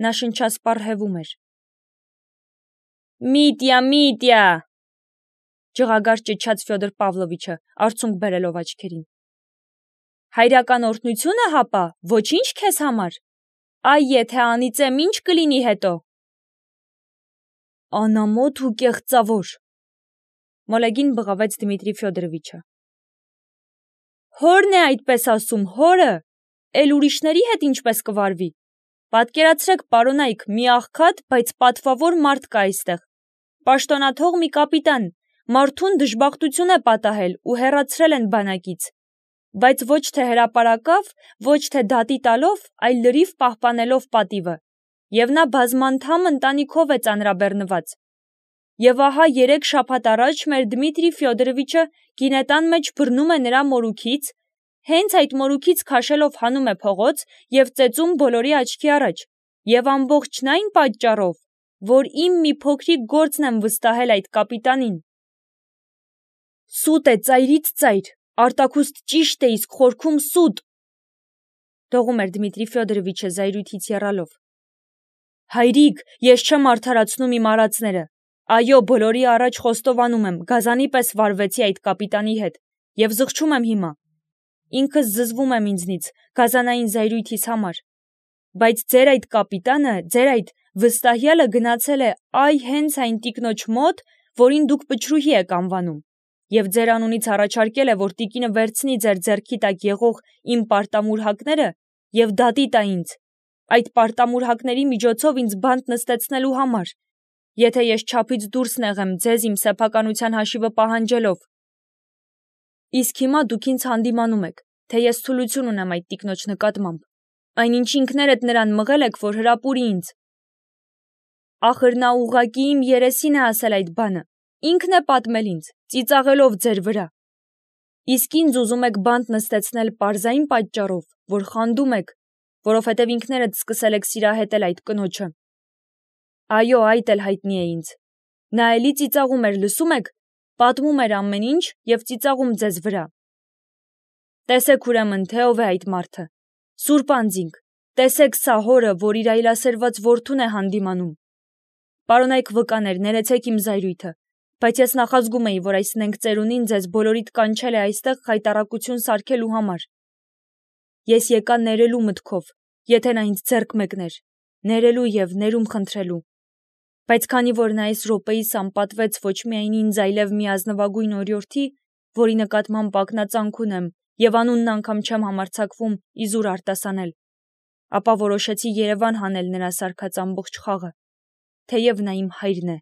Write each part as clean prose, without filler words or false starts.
Նա շնչասպառ հևում էր։ Միտյա, ջղագար ճչաց Ֆյոդոր Պավլովիչը, արցունք բերելով աչքերին։ Հայրական օրհնությունը հապա, ոչինչ քեզ համար։ Այ եթե անիծեմ, ինչ կլինի հետո։ Անամոթ ու կեղծավոր, մոլեգին բղավեց Դմիտրի Ֆյոդորովիչը։ Հորն է այդպես ասում, հորը, էլ ուրիշների հետ ինչպես կվարվի։ Պատկերացրեք, պարոնայք, մի աղքատ, բայց պատվավոր մարդ կա այստեղ։ Պաշտոնաթող մի կապիտան, մարդուն դժբախտություն է պատահել ու հեռացրել են բանակից, բայց ոչ թե հրապարակավ, ոչ թե դատի տալով, այլ լրիվ պահպանելով պատիվը, և նա բազմանդամ ընտանիքով է ծանրաբեռնված։ Եվ ահա 3 շաբաթ առաջ մեր Դմիտրի Ֆյոդորովիչը գինետան մեջ բռնում է նրա մորուքից, հենց այդ մորուքից քաշելով հանում է փողոց և ծեծում բոլորի աչքի առաջ, և ամբողջն այն պատճառով, որ իմ մի փոքրիկ գործն եմ վստահել այդ կապիտանին։ Սուտ է, ծայրից ծայր, արտաքուստ ճիշտ է, իսկ խորքում սուտ, դողում էր Դմիտրի Ֆյոդորովիչը զայրույթից եռալով։ Հայրիկ, ես չեմ արդարացնում իմ արածները։ Այո, բոլորի առաջ խոստովանում եմ, գազանի պես վարվեցի այդ կապիտանի հետ, և զղջում եմ հիմա։ Ինքս զզվում եմ ինձնից, գազանային զայրույթիս համար։ Բայց ձեր այդ կապիտանը, ձեր այդ վստահյալը գնացել է այ հենց այն տիկնոջ մոտ, որին դուք պչրուհի եք անվանում, և ձեր անունից առաջարկել է, որ տիկինը վերցնի ձեր ձեռքի տակ եղող իմ պարտամուրհակները և դատի տա ինձ, այդ պարտամուրհակների միջոցով ինձ բանտ նստեցնելու համար, եթե ես չափից դուրս նեղեմ ձեզ իմ սեփականության հաշիվը պահանջելով։ Իսկ հիմա դուք ինձ հանդիմանում եք, թե ես թուլություն ունեմ այդ տիկնոջ նկատմամբ, այնինչ ինքներդ նրան մղել եք, որ հրապուրի ինձ։ Ախր նա ուղղակի իմ երեսին է ասել այդ բանը, ինքն է պատմել ինձ, ծիծաղելով ձեր վրա։ Իսկ ինձ ուզում եք բանտ նստեցնել պարզային պատճառով, որ խանդում եք, որովհետև ինքներդ սկսել եք սիրահետել այդ կնոջը։ Այո, այդ էլ հայտնի է ինձ։ Նա էլի ծիծաղում էր, լսում եք, պատմում էր ամեն ինչ և ծիծաղում ձեզ վրա։ Տեսեք ուրեմն, թե ով է այդ մարդը։ Սուրբ անձինք, տեսեք սա հորը, որ իր այլասերված որդուն է հանդիմանում։ Պարոնայք վկաներ, ներեցեք իմ զայրույթը, բայց ես նախազգում էի, որ այս նենգ ծերունին ձեզ բոլորիդ կանչել է այստեղ խայտառակություն սարքելու համար։ Ես եկա ներելու մտքով, եթե նա ինձ ձեռք մեկներ, ներելու և ներում խնդրելու։ Բայց քանի որ նա այս րոպեիս անպատվեց ոչ միայն ինձ, այլև մի ազնվագույն օրիորդի, որի նկատմամբ ակնածանք ունեմ և անունն անգամ չեմ համարձակվում իզուր արտասանել, ապա որոշեցի Երևան հանել նրա սարքած ամբողջ խաղը, թեև նա իմ հայրն է։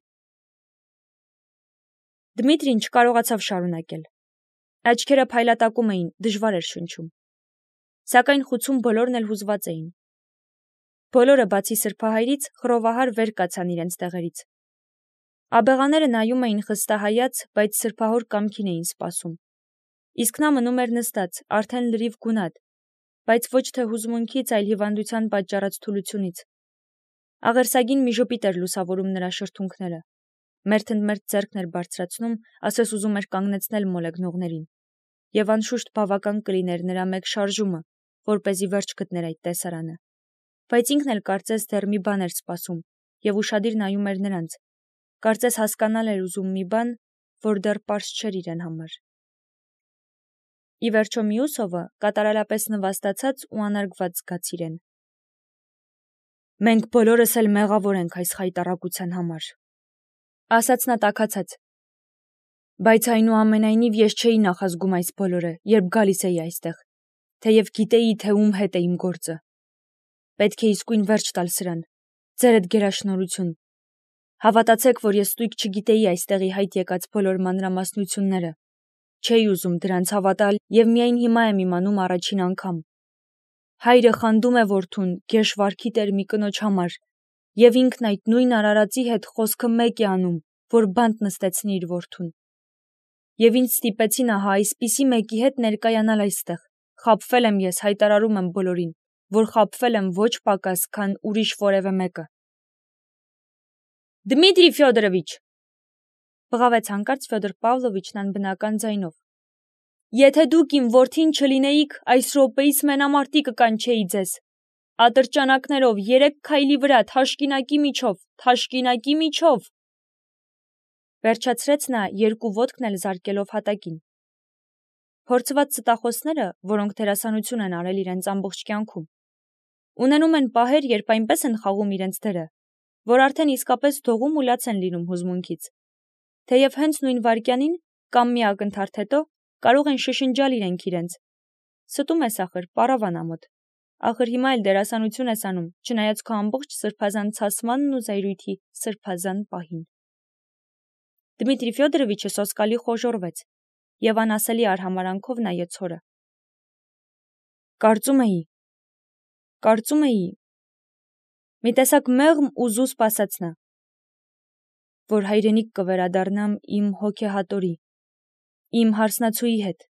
Դմիտրին չկարողացավ շարունակել։ Աչքերը փայլատակում էին, դժվար էր շնչում։ Սակայն խուցում բոլորն էլ հուզված էին։ Բոլորը բացի սրբահայրից խռովահար վեր կացան իրենց տեղերից։ Աբեղաները նայում էին խստահայաց, բայց սրբահոր կամքին էին սպասում։ Իսկ նա մնում էր նստած, արդեն լրիվ գունատ, բայց ոչ թե հուզմունքից, այլ հիվանդության պատճառած թուլությունից։ Աղերսագին մի ժպիտ էր լուսավորում նրա շրթունքները։ Մերթընդմերթ ձեռքն էր բարձրացնում, ասես ուզում էր կանգնեցնել մոլեգնողներին։ Եվ անշուշտ բավական կլիներ նրա մեկ շարժումը, որպեսզի վերջ գտներ այդ տեսարանը։ Բայց ինքն էլ կարծես դեռ մի բան էր սպասում և ուշադիր նայում էր նրանց։ Կարծես հասկանալ էր ուզում մի բան, որ դեռ պարզ չէր իրեն համար։ Ի վերջո Մյուսովը կատարելապես նվաստացած ու անարգված զգաց իրեն։ Մենք բոլորս էլ մեղավոր ենք այս խայտառակության համար, ասաց նա տաքացած։ Բայց այնուամենայնիվ ես չէի նախազգում այս բոլորը, երբ գալիս էի այստեղ, թեև գիտեի, թե ում հետ է իմ գործը։ Պետք է իսկույն վերջ տալ սրան, ձերդ գերաշնորհություն։ Հավատացեք, որ ես ստույգ չգիտեի այստեղի հայտ եկած բոլոր մանրամասնությունները, չէի ուզում դրանց հավատալ և միայն հիմա եմ իմանում առաջին անգամ։ Հայրը խանդում է որդուն, գեշ վարքի տեր մի կնոջ համար, և ինքն այդ նույն արարածի հետ խոսքը մեկ է անում, որ բանտ նստեցնի իր որդուն։ Եվ ինձ ստիպեցին ահա այսպիսի մեկի հետ ներկայանալ այստեղ, խաբվել եմ ես, հայտարարում եմ բոլորին, որ խաբվել եմ ոչ պակաս, քան ուրիշ որևէ մեկը։ Դմիտրի Ֆյոդորովիչ, բղավեց հանկարծ Ֆյոդոր Պավլովիչն անբնական ձայնով։ Եթե դուք իմ որդին չլինեիք, այս րոպեիս մենամարտի կկանչեի ձեզ։ Ատրճանակներով, 3 քայլի վրա, թաշկինակի միջով, վերջացրեց նա 2 ոտքն էլ զարկելով հատակին։ Փորձված ստախոսները, որոնք դերասանություն են արել իրենց ամբողջ կյանքում, ունենում են պահեր, երբ այնպես են խաղում իրենց դերը, որ արդեն իսկապես դողում ու լաց են լինում հուզմունքից, թեև հենց նույն վայրկյանին կամ մի ակնթարթ հետո կարող են շշնջալ իրենք իրենց. «Ստում ես ախր, պարավան ամոթ, ախր հիմա էլ դերասանություն ես անում, չնայած քո ամբողջ սրբազան ցասմանն ու զայրույթի սրբազան պահին»։ Դմիտրի Ֆյոդորովիչը սոսկալի խոժոռվեց և անասելի արհամարանքով նայեց հորը։ Կարծում էի, մի տեսակ մեղմ ու զուսպ ասաց նա, որ հայրենիք կվերադառնամ իմ հոգեհատորի, իմ հարսնացուի հետ,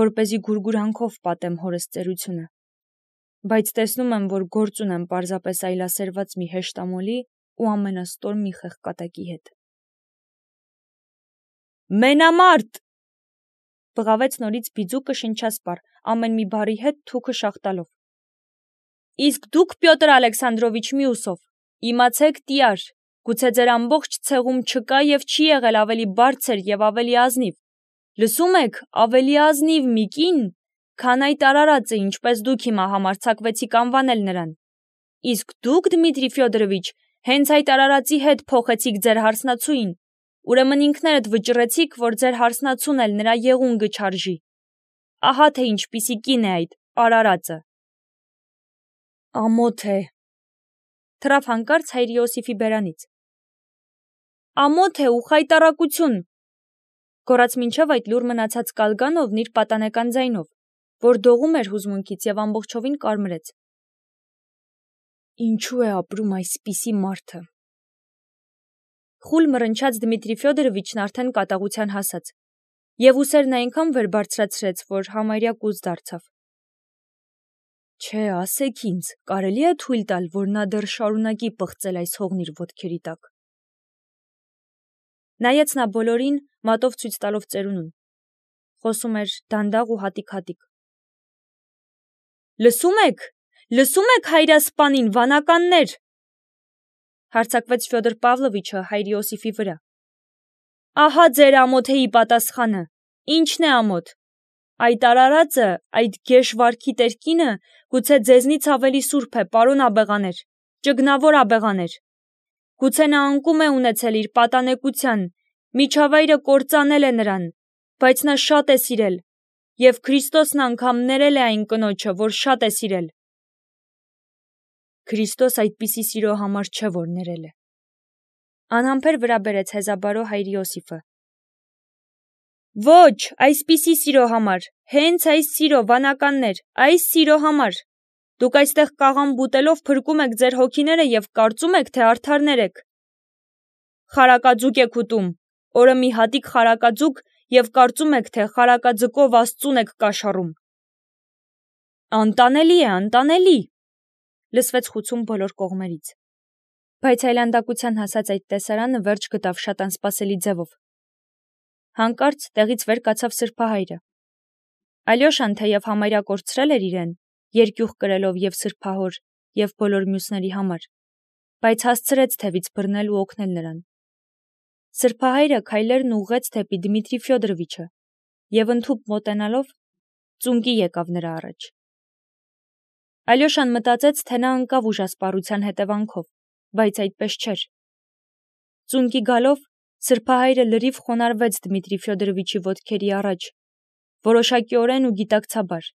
որպեսզի գուրգուրանքով պատեմ հորս ծերությունը, բայց տեսնում եմ, որ գործ ունեմ պարզապես այլասերված մի հեշտամոլի ու ամենաստոր մի խեղկատակի հետ։ Մենամարտ, բղավեց նորից բիձուկը շնչասպառ, ամեն մի բառի հետ թուքը շաղտալով։ Իսկ դուք, Պյոտր Ալեքսանդրովիչ Մյուսով, իմացեք տիար, գուցե ձեր ամբողջ ցեղում չկա եւ չի եղել ավելի բարձր եւ ավելի ազնիվ, լսում եք, ավելի ազնիվ մի կին, քան այդ արարածը, ինչպես դուք հիմա համարձակվեցիք անվանել նրան։ Իսկ դուք, Դմիտրի Ֆյոդորովիչ, հենց այդ արարածի հետ փոխեցիք ձեր հարսնացուին, ուրեմն ինքներդ վճռեցիք, որ ձեր հարսնացուն էլ նրա եղունգը չարժի։ Ահա թե ինչպիսի կին է այդ արարածը։ Ամոթ է, թռավ հանկարծ հայր Իոսիֆի բերանից։ Ամոթ է ու խայտառակություն, գոռաց մինչև այդ լուր մնացած Կալգանովն իր պատանեկան ձայնով, որ դողում էր հուզմունքից եւ ամբողջովին կարմրեց։ Ինչու է ապրում այսպիսի մարդը։ Խուլ մռնչաց Դմիտրի Ֆյոդորովիչն արդեն կատաղության հասած, եւ ուսերն այնքան վեր բարձրացրեց, որ համարյա կուզ դարձավ։ Չէ, ասեք ինձ, կարելի է թույլ տալ, որ նա դեռ շարունակի պղծել այս հողն իր ոտքերի տակ։ Նայեց նա բոլորին, մատով ցույց տալով ծերունուն։ Խոսում էր դանդաղ ու հատիկ-հատիկ։ Լսում եք հայրասպանին, վանականներ, հարձակվեց Ֆյոդոր Պավլովիչը հայր Իոսիֆի վրա։ Ահա ձեր ամոթեի պատասխանը, ինչն է ամոթ։ Այդ արարածը, այդ գեշ վարքի տերկինը, գուցե ձեզնից ավելի սուրբ է, պարոն աբեղաներ, ճգնավոր աբեղաներ։ Գուցե նա անկում է ունեցել իր պատանեկության, միջավայրը կործանել է նրան, բայց նա շատ է սիրել, եւ Քրիստոսն անգամ ներել է այն կնոջը, որ շատ է սիրել։ Քրիստոս այդպիսի սիրո համար չէ, որ ներել է։ Անհամբեր վրա բերեց հեզաբարո հայր Իոսիֆը։ Ոչ, այսպիսի սիրո համար, հենց այս սիրո, վանականներ, այս սիրո համար։ Դուք այստեղ կաղամ բուտելով փրկում եք ձեր հոգիները եւ կարծում եք, թե արդարներ եք։ Խարակաձուկ եք ուտում, օրը մի հատիկ խարակաձուկ եւ կարծում եք, թե խարակաձկով Աստծուն եք կաշառում։ Անտանելի, լսվեց խուցում բոլոր կողմերից։ Բայց այլանդակության հասած այդ տեսարանը վերջ գտավ շատ անսպասելի ձևով։ Հանկարծ տեղից վեր կացավ սրբահայրը։ Ալյոշան թեև համարյա կորցրել էր իրեն, երկյուղ կրելով եւ սրբահոր եւ բոլոր մյուսների համար, բայց հասցրեց թևից բռնել ու օգնել նրան։ Սրբահայրը քայլերն ուղղեց դեպի Դմիտրի Ֆյոդորովիչը եւ ընդհուպ մոտենալով ծունկի եկավ նրա առաջ։ Ալյոշան մտածեց, թե նա ընկավ ուժասպառության հետևանքով, բայց այդպես չէր։ Ծունկի գալով սրբահայրը լրիվ խոնարհվեց Դմիտրի Ֆյոդորովիչի ոտքերի առաջ, որոշակիորեն ու գիտակցաբար,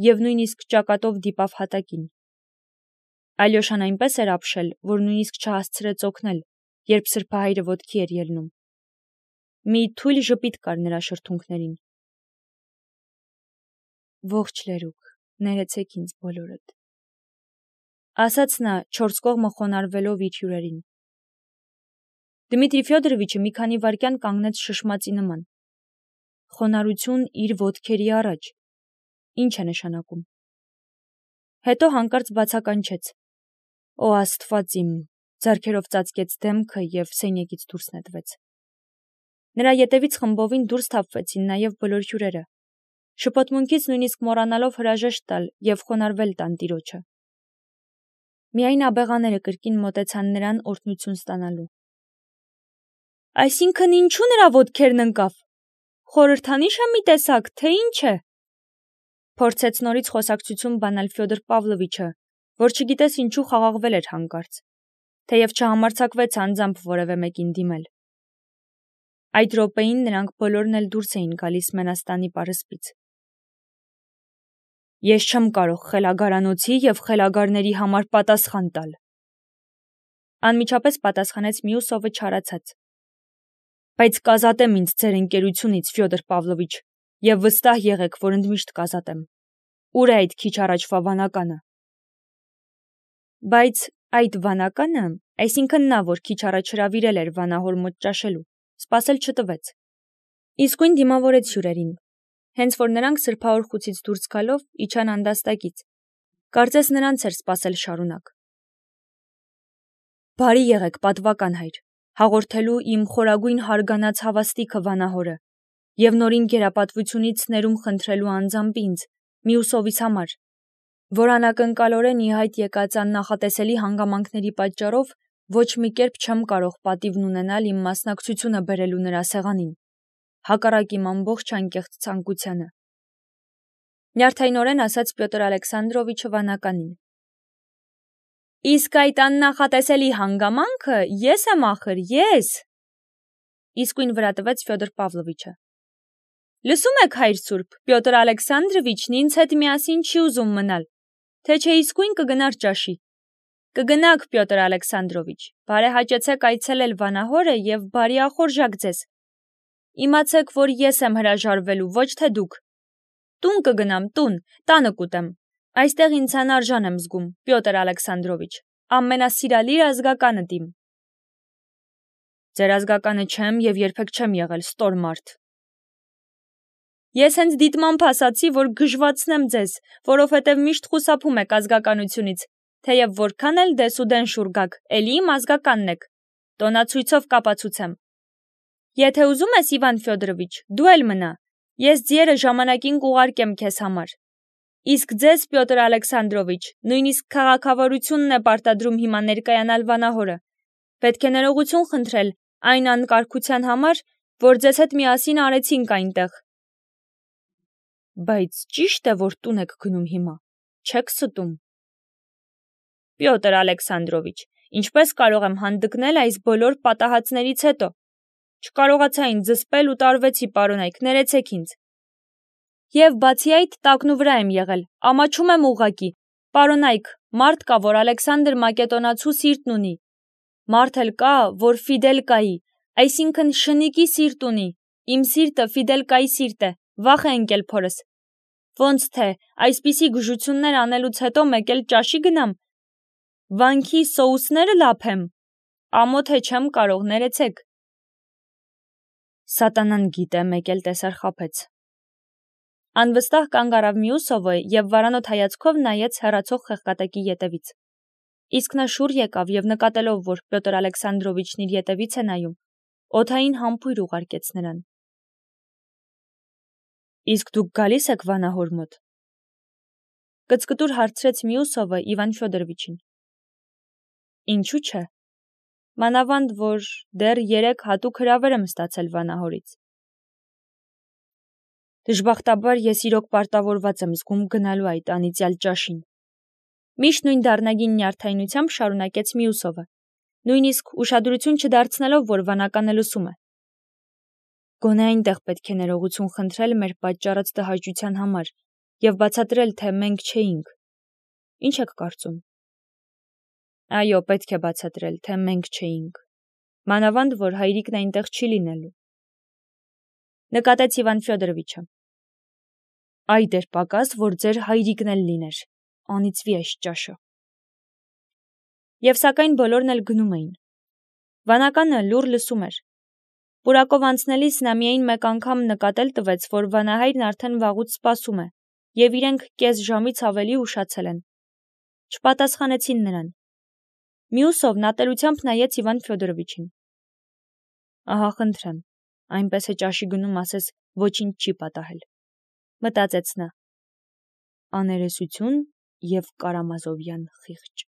եւ նույնիսկ ճակատով դիպավ հատակին։ Ալյոշան այնպես էր ապշել, որ նույնիսկ չհասցրեց օգնել, երբ սրբահայրը ոտքի էր ելնում։ Մի թույլ ժպիտ կար նրա շրթունքներին։ Ողջ լերուկ, ներեցեք ինձ բոլորդ, ասաց նա 4 կողմը խոնարհվելով իր հյուրերին։ Դմիտրի Ֆյոդորովիչը մի քանի վայրկյան կանգնեց շշմածի նման։ Խոնարհություն իր ոտքերի առաջ։ Ինչ է նշանակում։ Հետո հանկարծ բացականչեց. Օ Աստված իմ, ձեռքերով ծածկեց դեմքը եւ սենյակից դուրս նետվեց։ Նրա ետևից խմբովին դուրս թափվեցին նաեւ բոլոր հյուրերը, շփոթմունքից նույնիսկ մոռանալով հրաժեշտ տալ եւ խոնարհվել տան տիրոջը։ Միայն աբեղաները կրկին մոտեցան նրան օրհնություն ստանալու։ Այսինքն ինչու նրա ոտքերն ընկավ։ Խորհրդանիշ է մի տեսակ, թե ինչ է։ Փորձեց նորից խոսակցություն բանալ Ֆյոդոր Պավլովիչը, որ չգիտես ինչու խաղաղվել էր հանկարծ, թեև չհամարձակվեց անձամբ որևէ մեկին դիմել։ Այդ րոպեին նրանք բոլորն էլ դուրս էին գալիս մենաստանի պարսպից։ Ես չեմ կարող խելագարանոցի և խելագարների համար պատասխան տալ։ Անմիջապես պատասխանեց Մյուսովը չարացած։ Բայց կազատեմ ինձ ձեր ընկերությունից, Ֆյոդոր Պավլովիչ, և վստահ եղեք, որ ընդմիշտ կազատեմ։ Ուր է այդ քիչ առաջվա վանականը։ Բայց այդ վանականը, այսինքն նա, որ քիչ առաջ հրավիրել էր վանահոր մոտ ճաշելու, սպասել չտվեց։ Իսկույն դիմավորեց հյուրերին։ Հենց որ նրանք սրբահոր խուցից դուրս գալով իջան անդաստակից, կարծես նրանց էր սպասել շարունակ։ Բարի եղեք, պատվական հայր, հաղորդելու իմ խորագույն հարգանած հավաստիքը վանահորը և նորին գերապատվությունից ներում խնդրելու անձամբ ինձ, Մյուսովիս համար, որ անակնկալորեն ի հայտ եկած աննախատեսելի հանգամանքների պատճառով ոչ մի կերպ չեմ կարող պատիվն ունենալ իմ մասնակցությունը բերելու նրա սեղանին, հակառակ իմ ամբողջ անկեղծ ցանկությանը։ Նյարդայնորեն ասաց Պյոտր Ալեքսանդրովիչը վանականին։ Իսկ այդ աննախատեսելի հանգամանքը ես եմ ախր, ես։ Իսկույն վրա տվեց Ֆյոդոր Պավլովիչը։ Լսում եք, հայր սուրբ, Պյոտր Ալեքսանդրովիչն ինձ հետ միասին չի ուզում մնալ, թե չէ իսկույն կգնար ճաշի։ Կգնաք, Պյոտր Ալեքսանդրովիչ, բարեհաճեցեք այցելել վանահորը և բարիախորժակ ձեզ։ Իմացեք, որ ես եմ հրաժարվելու, ոչ թե դուք։ Տուն կգնամ, տուն, տանը կուտեմ։ Այստեղ ինձ անարժան եմ զգում, Պյոտր Ալեքսանդրովիչ, ամենասիրալիր ազգականդ իմ։ Ձեր ազգականը չեմ և երբեք չեմ եղել ստոր մարդ։ Ես հենց դիտմամբ ասացի, որ գժվացնեմ ձեզ, որովհետև միշտ խուսափում եք ազգականությունից, թեև որքան էլ դեսուդեն շուռ գաք, էլի իմ ազգականն եք, տոնացույցով կապացուցեմ։ Եթե ուզում ես, Իվան Ֆյոդորովիչ, դու էլ մնա, ես ձիերը ժամանակին կուղարկեմ քեզ համար։ Իսկ ձեզ, Պյոտր Ալեքսանդրովիչ, նույնիսկ քաղաքավարությունն է պարտադրում հիմա ներկայանալ վանահորը։ Պետք է ներողություն խնդրել այն անկարգության համար, որ ձեզ հետ միասին արեցինք այնտեղ։ Բայց ճիշտ է, որ տուն եք գնում հիմա, չեք ստում։ Պյոտր Ալեքսանդրովիչ, ինչպես կարող եմ հանդգնել այս բոլոր պատահածներից հետո։ Չկարողացա ինձ զսպել ու տարվեցի, պարոնայք, ներեցեք ինձ։ Եվ բացի այդ, տակնու վրա եմ եղել, ամաչում եմ ուղղակի։ Պարոնայք, մարդ կա, որ Ալեքսանդր Մակեդոնացու սիրտն ունի։ Մարդ էլ կա, որ Ֆիդելկայի, այսինքն շնիկի սիրտ ունի։ Իմ սիրտը Ֆիդելկայի սիրտ է, վախ է ընկել փորս։ Ոնց թե, այսպիսի գժություններ անելուց հետո մեկ էլ ճաշի գնամ։ Վանքի սոուսները լափեմ։ Ամոթ է չեմ կարող, ներեցեք։ Սատանան գիտե, մեկ էլ տեսար խաբեց։ Անվստահ կանգ առավ Մյուսովը և վարանոտ հայացքով նայեց հեռացող խեղկատեկի ետևից։ Իսկ նա շուռ եկավ և նկատելով, որ Պյոտր Ալեքսանդրովիչն իր ետևից է նայում, օդային համբույր ուղարկեց նրան։ Իսկ դուք գալիս եք վանահոր մոտ։ Կծկտուր հարցրեց Մյուսովը Իվան Ֆյոդորովիչին։ Ինչու՞ չէ։ Մանավանդ, որ դեռ 3 հատուկ հրավեր եմ ստացել վանահորից։ Դժբախտաբար ես իրոք պարտավորված եմ զգում գնալու այդ անիծյալ ճաշին։ Միշտ նույն դառնագին նյարդայնությամբ շարունակեց Մյուսովը, նույնիսկ ուշադրություն չդարձնելով, որ վանականը լսում է։ Գոնե այնտեղ պետք է ներողություն խնդրել մեր պատճառած տհաճության համար և բացատրել, թե մենք չէինք։ Ինչ եք կարծում։ Այո, պետք է բացատրել, թե մենք չէինք։ Մանավանդ, որ հայրիկն այնտեղ չի լինելու։ Նկատեց Իվան Ֆյոդորովիչը։ Այ դեր պակաս, որ ձեր հայրիկն էլ լիներ, անիծվի այս ճաշը։ Եվ սակայն բոլորն էլ գնում էին։ Վանականը լուռ լսում էր։ Պուրակով անցնելիս նա միայն մեկ անգամ նկատել տվեց, որ վանահայրն արդեն վաղուց սպասում է, և իրենք կես ժամից ավելի ուշացել են։ Չպատասխանեցին նրան։ Մյուսովն ատելությամբ նայեց Իվան Ֆյոդորովիչին։ Ահա խնդրեմ, այնպես է ճաշի գնում ասես ոչինչ չի պատահել, մտածեց նա։ Աներեսություն և Կարամազովյան խիղճ։